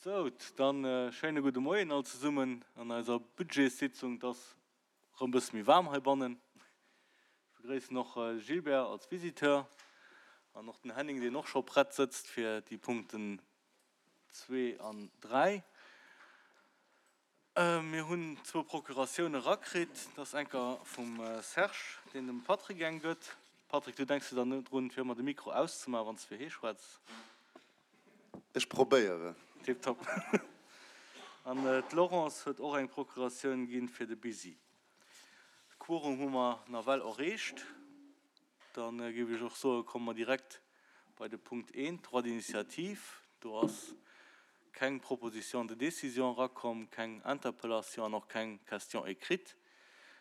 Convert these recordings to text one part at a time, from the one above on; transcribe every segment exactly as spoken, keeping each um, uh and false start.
Sou, dann schéine gudde Moien all zesummen an eiser Budgetssitzung. Et ass erëm e bësse méi waarm heibannen. Ech begréissen och Gilbert als Visiteur an och den Henning, deen och scho prett sëtzt fir déi Punkten zwee an dräi. Mir hunn zwou Procuratioune rakritt. Dat ass enker vum Serge, deen dem Patrick eng gëtt. Patrick, du denks jo dann net drun, fir ëmmer de Mikro auszemaachen, wann s de fir hee schwätz? Ech probéieren. Tiptop. An d'Laurence huet och eng Procuratioun ginn fir de Busy. De Quorum hu mer nawell erreecht. Da géif ech och soen, komme mer direkt bei de Punkt eent, Droit d'initiative. Do ass keng Proposition de décision erakomm, keng Interpellation an och keng Question écrite.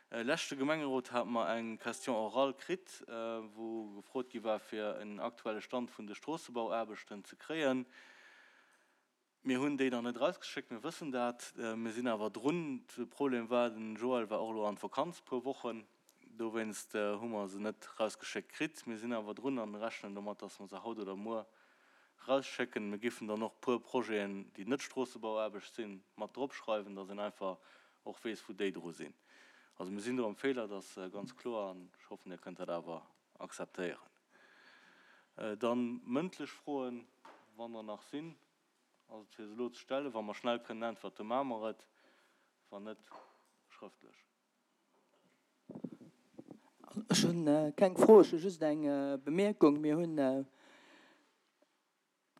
Leschte Gemengerot hate mer eng Question orale kritt, wou gefrot gi war, fir en aktuelle Stand vun de Stroossebauaarbechten ze kréien. Mir hunn déi nach net erausgeschéckt, mir wëssen dat. Mir sinn awer drun. De Problem war, den Joël war och elo an d'Vakanz e puer Wochen, dowéinst hu mer se net erausgeschéckt kritt. Mir sinn awer drun an rechnen domat, dass mer se haut oder muer erausschécken. Mir giffen dann och e puer Projeten, déi net Stroossebauaarbecht sinn, mat dropschreiwen, dass een einfach och weess, wou déi dru sinn. Also mir sinn do am Feeler, dat ass ganz kloer an ech hoffen, Dir kënnt dat awer akzeptéieren. Dann mëndlech Froen, wann der nach sinn. Ass et fir se elo ze stellen? Wa mer schnell kënnen äntwerten, maache mer et, wann net, schrëftlech. Ech hu keng Fro, ech hu just eng Bemierkung. Mir hunn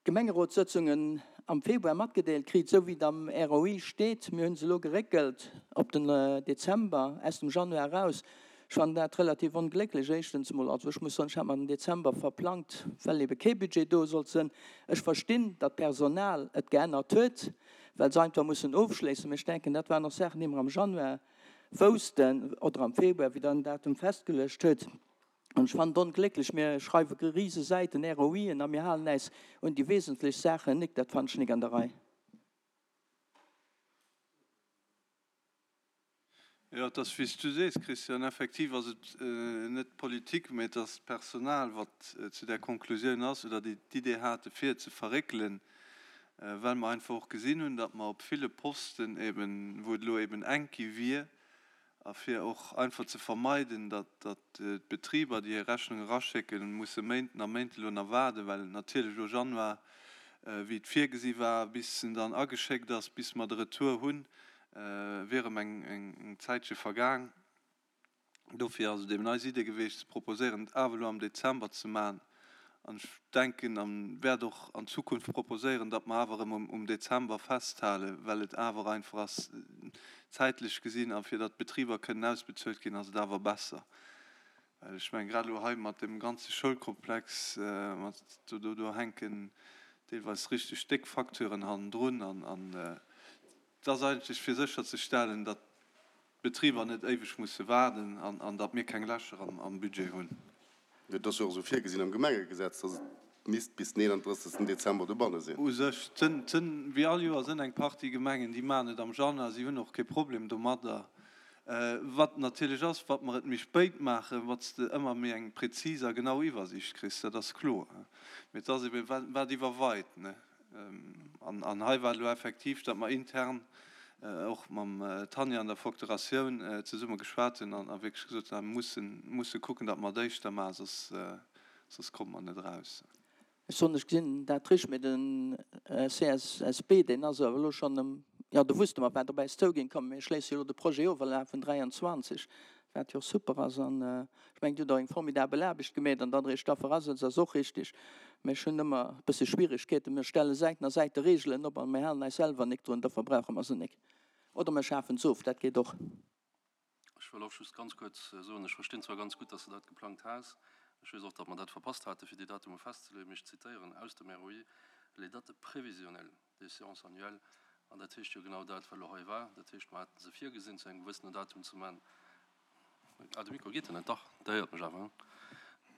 d'Gemengerotssëtzungen am Februar matgedeelt kritt, esou wéi et am R O I steet. Mir hu se elo geréckelt op den Dezember, aus dem Januar eraus. Ech fannen dat relativ onglécklech, éischtens emol. Also ech muss soen, ech hat mer den Dezember verplangt, well ebe kee Budget do sollt sinn. Ech verstinn, datt d'Personal et geännert huet, well se einfach mussen ofschléissen. Mee ech denken, dat waren och Saachen, déi mer am Januar woussten oder am Februar, wéi Der den Datum festgeluecht huet. An ech fannen et onglécklech, mir schreiwe rise Säiten R O Ien a mir halen äis un déi wesentlech Saachen nik. Dat fannen ech nik an der Rei. Jo, et ass wéi s du sees, Christian, effektiv ass et net d'Politik, mä et ass d'Personal, wat zu där Konklusioun ass oder déi d'Idee hate fir et ze verréckelen, well mer einfach och gesinn hunn, datt mer op ville Posten eben, wou et elo eben enk gi wier, a fir och einfach ze vermeiden, datt d'Betriber, déi hir Rechnung eraschécken, musse Méinten a Méinte elo nach waarden, well natierlech elo Januar, wéi et virgesi war, bis en dann ageschéckt ass, bis mer de Retour hunn, wier erëm eng Zäitche vergaang. Dofir ass et eben eis Idee geweecht ze proposéieren, et awer elo am Dezember ze maachen. An ech denken a wäert och an Zukunft proposéieren, datt mer awer erëm um Dezember festhalen, well et awer einfach ass, zäitlech gesinn, a fir datt d'Betriber kënnen ausbezuelt ginn, ass et awer besser. Well ech mengen, grad elo hei mat deem ganze Schoulkomplex, mat do do hänken deelweis richteg déck Facturen hannendrun an et ass eigentlech fir sécherzestellen, datt d'Betriber net éiweg musse waarden an datt mir keng Lächer am Budget hunn. Et ass jo och esou virgesinn am Gemengegesetz, datt et misst bis den eenanddrëssegsten Dezember dobanne sinn. U sech sënn, wéi all Joer, sënn eng Partie Gemengen, déi maachen et am Januar, si hunn och kee Problem domadder. Wat natierlech ass, wat mer et méi spéit maachen, wat s de ëmmer méi eng prezis a genau Iwwersiicht kriss, dat ass kloer. Mee et ass ebe wat iwwerweit, ne? An hei war et elo effektiv, datt mer intern och mam Tanja an der Facturatioun zesumme geschwat hunn an wierklech gesot hunn, mir mussen, musse kucken, datt mer et éischter maachen, soss, soss komme mer net eraus. Ech soen, ech gesinn dat richteg, mee den C S S B, deen ass awer elo schonn ëm, jo, do wusste mer, wat op äis zouginn. Komm, mir schléisse jo elo de Projet of a lafen dräianzwanzeg, wat jo och super ass. An ech mengen, Dir hutt och eng formidabel Aarbecht gemeet an datt Der Iech da verasëtzt, ass och richtig. Mä ech hunn ëmmer e bësse Schwierigkeeten. Mir stelle Säiten a Säite Regeln op a mir halen eis selwer nik drun, dofir brauche mer se nik. Oder mir schafen se of, dat geet och. Ech wëll och just ganz kuerz soen, ech verstinn zwar ganz gutt, dass de dat geplangt has, ech weess och, datt mer dat verpasst hate fir déi Datume festzeleeën, mee ech zitéieren aus dem R O I, les dates prévisionnelles des séances annuelles, an dat heescht jo genau dat, wat elo hei war. Dat heescht, mer haten se virgesinn, zu engem gewëssenen Datum ze maachen. Ah, de Mikro geet jo net, dach, der héiert mech awer, hein?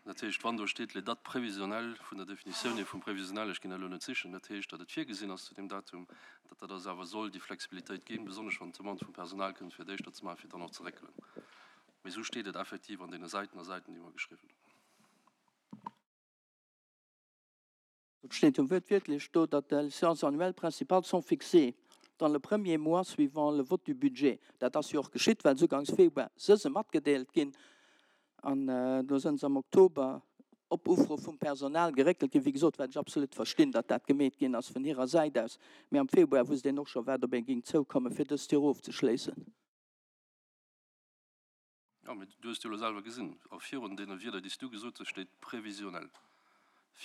Dat heescht, wann do steet les dates prévisionnelles, vun der Definitioun hier vum Prévisionnel, ech ginn dat elo net sichen, dat heescht, datt et virgesinn ass zu deem Datum, datt dat eis awer soll déi Flexibilitéit ginn, besonnesch wann d'Demande vum Personal kënnt, fir et éischter ze maachen, fir dann och ze réckelen. Mee esou steet et effektiv an deene Säiten a Säiten, déi mer geschriwwen hunn. Et steet jo wuertwiertlech do, datt les séances annuelles principales sont fixées dans le premier mois suivant le vote du budget. Dat ass jo och geschitt, well se ugangs Februar se se matgedeelt ginn an do sënn se am Oktober op Ufro vum Personal geréckelt ginn. Wéi gesot, wat ech absolut verstinn, datt dat gemeet ginn ass vun hirer Säit aus, mee am Februar wusst een och scho wat op ee géing zoukommen, fir dëst Joer ofzeschléissen. Jo, mee du hues jo elo selwer gesinn, a virun deene Wierder, déi s du gesot hues, steet prévisionnel,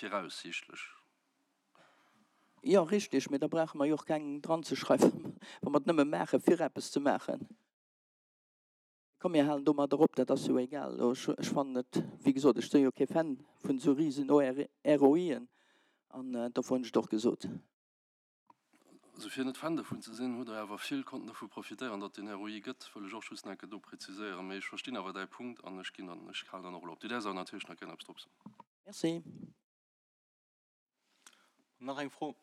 viraussiichtlech. Jo, richtig, mee da brauche mer jo och keng dranzeschreiwen, wa mer et nëmme maachen, fir eppes ze maachen. Komm, mir halen domadder op, dat ass jo egal. Ech fannen et, wéi gesot, ech si jo kee Fan vun esou risen ROIen, an dofir hunn ech et och gesot. Also fir net Fan dovun ze sinn, hutt Der awer vill konnten dovu profitéieren, datt deen ROI gëtt, wëll ech och just nach eng Kéier do präziséieren. Mee ech verstinn awer däi Punkt an ech ginn dann, ech halen dann och elo op. Du däerfs awer natierlech nach gären eppes drop soen. Merci. Nach eng Fro?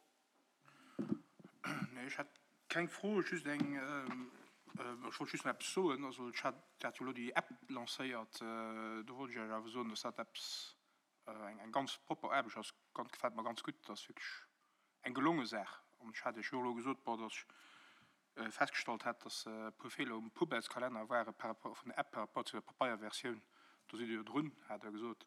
Nee, ech hätt keng Fro, just eng, ech wollt just nach eppes soen. Also ech hat, Dir hat jo elo déi App lancéiert, do wollt ech Iech awer soen, dass dat eppes, eng ganz propper Aarbecht ass, ganz, gefält mer ganz gutt, dat ass wierklech eng gelonge Saach. An ech hat Iech jo elo gesot, bon, dass ech festgestallt hätt, dass e puer Feeler um Poubellskalenner ware par rapport vun der App par rapport zu der Papeierversioun. Do sidd Dir jo drun, hat Der gesot.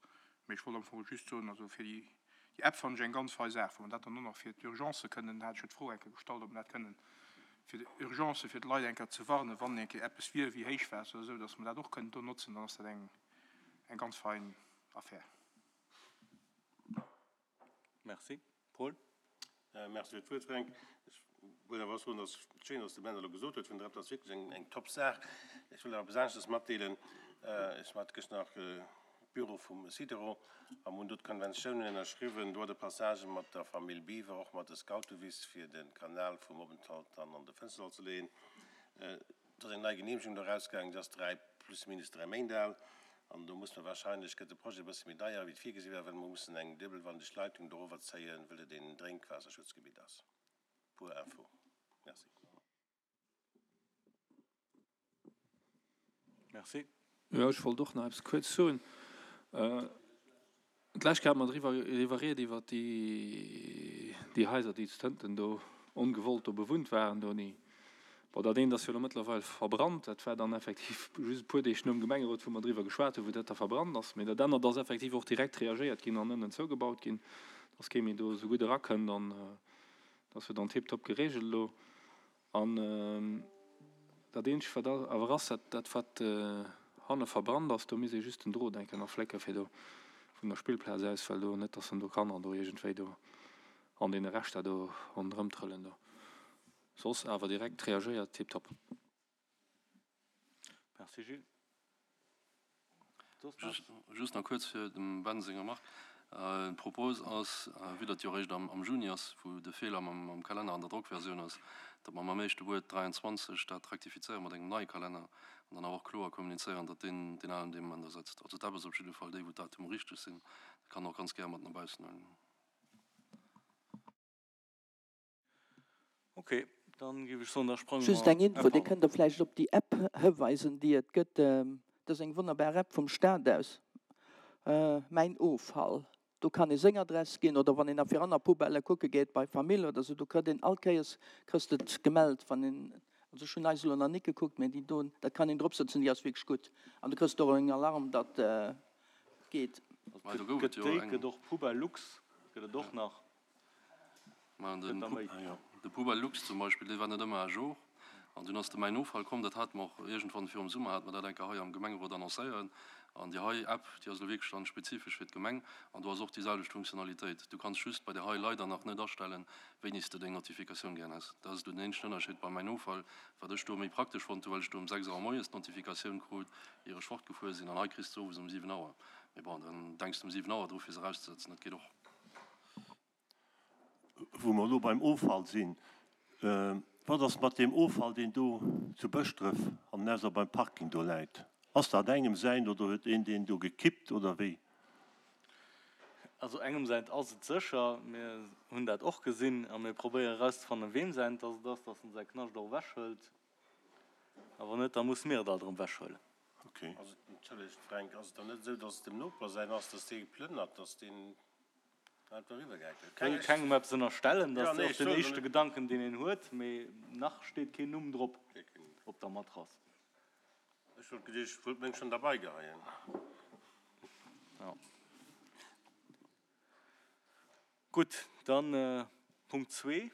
Mee ech wollt am Fong just soen, also fir déi, déi App fannen ech eng ganz fei Saach. Wa mer dat dann och nach fir d'Urgencë kënnen, hat ech jo d'Fro eng Kéier gestallt, ob mer dat kënnen fir d'Urgencë, fir d'Leit eng Kéier ze warnen, wann eng Kéier eppes wier wéi Héichwaasser oder esou, dass mer dat och kënnen do notzen, dann ass dat eng, eng ganz fein Affär. Merci. Paul. Merci fir d'Wuert, Fränk. Ech wëll awer och soen, dass et schéin ass, de Ben elo gesot huet vun der App, dat ass wierklech eng, eng top Saach. Ech wëll awer eppes aneschters matdeelen. Ech hat gëschter nach Büro vum Sidero a mir hunn do d'Konventiounen ënnerschriwwen, Droit de passage mat der Famill Biwer, och mat de Scoutewiss, fir de Kanal vum Openthalt dann an de Fënsterlall ze leeën. Et ass eng nei Geneemegung do erausgaangen, déi ass dräi, plus minus dräi Méint al. An do musse mer wahrscheinlech, gëtt de Projet e bësse méi deier, wéi et virgesi war, well mer mussen eng duebelwandeg Leitung dorower zéien, wëll et een Drénkwaasserschutzgebitt ass. Pour info. Merci. Merci. Jo, ech wollt och nach eppes kuerz soen. D'lescht Kéier hate mer driwwer iwwer ried iwwer déi, déi Haiser, déi zu Tënten do ongewollt do bewunnt waren do. Bon, dat eent ass jo elo mëttlerweil verbrannt. Dat war dann effektiv just e puer Deeg nom Gemengerot, wou mer driwwer geschwat hunn, wou dat da verbrannt ass. Mee dat anert ass effektiv och direkt reagéiert ginn an ënnen zougebaut ginn, dass kee méi do esou gutt erakënnt. An dat ass jo dann tiptop geregelt elo. An dat eenzegt, wat awer ass, dat, dat wat hanne verbrannt ass, do misst ee just den Drot eng Kéier nach flécke fir do vun der Spillplaz aus, well do net, dass dann do Kanner do iergendwéi do an deene Reschter do ronderëmtrëllen do. Soss awer direkt reagéiert, tiptop. Merci Gilles. Just nach kuerz fir dem Ben seng Remarque. D'Propos ass, vue datt jo eréischt am Juni ass, wou de Feeler mam Kalenner an der Drockversioun ass, datt mer mam éischte Wuert dräianzwanzeg dat rektifizéiere mat engem neie Kalenner an dann awer och kloer kommunizéieren, datt deen deen alen dee Moment ersetzt. Also d'App ass op jidde Fall déi, wou d'Datumer richteg sinn. Dat kann och ganz gär mat no baussen huelen. Ok, dann géif ech soen, da sprange Just mer. eng Info, Dir kënnt der vläicht op déi App hiweisen, déi et gëtt. Dat ass eng wonnerbar App vum Staat aus, Mäin Offall. Do kann ee seng Adress ginn oder wann een nach fir aner Poubellë kucke geet bei Famill oder esou, do kritt een all Kéiers kriss de et gemellt, wann een, also ech hunn eis elo nach nik gekuckt, mä déi do, dat kann een dropsëtzen, déi ass wierklech gutt an du kriss och en Alarm, datt geet. Mä do gouf et Gëtt jo déi, eng. gëtt och Poubelle Lux, gëtt et och nach. Mä de Poubelle Lux zum Beispill, dee war net ëmmer à jour. An dunn ass de Mäin Offall komm, dat hate mer och iergendwann virum Summer, hate mer dat eng Kéier hei am Gemengerot annoncéiert. An déi hei App, déi ass elo wierklech dann spezifesch fir d'Gemeng. An do ass och déi selwecht Funktionalitéit. Du kanns just bei där hei leider nach net astellen, wéini s de deng Notifikatioun gären häss. Dat ass elo den eenzegen Ënnerscheed bei Mäin Offall, wat ech do méi praktesch fonnt hu, well ech do um sechs Auer moies d'Notifikatioun krut, ier ech fortgefuer sinn. An hei kriss de se owes um siwen Auer. Mee bon, dann denks de um siwen Auer dru fir se erauszesetzen, dat geet och. Wou mer elo beim Offall sinn, Wat ass mat deem Offall, deen do zu Bëschdref an ausser beim Parking do läit? Ass dat engem säin oder huet een deen do gekippt oder wéi? Also engem säint ass et sécher. Mir hunn dat och gesinn a mir probéieren erauszefannen, weem säint dass et ass, dass en säi Knascht och ewechhëlt. A wann net, da musse mir et alt erëm ewechhuelen. Okay. Also, entschëllegt Fränk, ass et dann net esou, dass et dem Noper säin ass, dass dee geplënnert, dass deen Wëll kengem eppes ënnerstellen, dat ass och den éischte Gedanken, deen een huet, mee nach steet keen Numm drop op der Matrass. Ech wollt geduecht, ech wollt meng schonn derbei geheien. Jo. Gutt, dann Punkt zwee.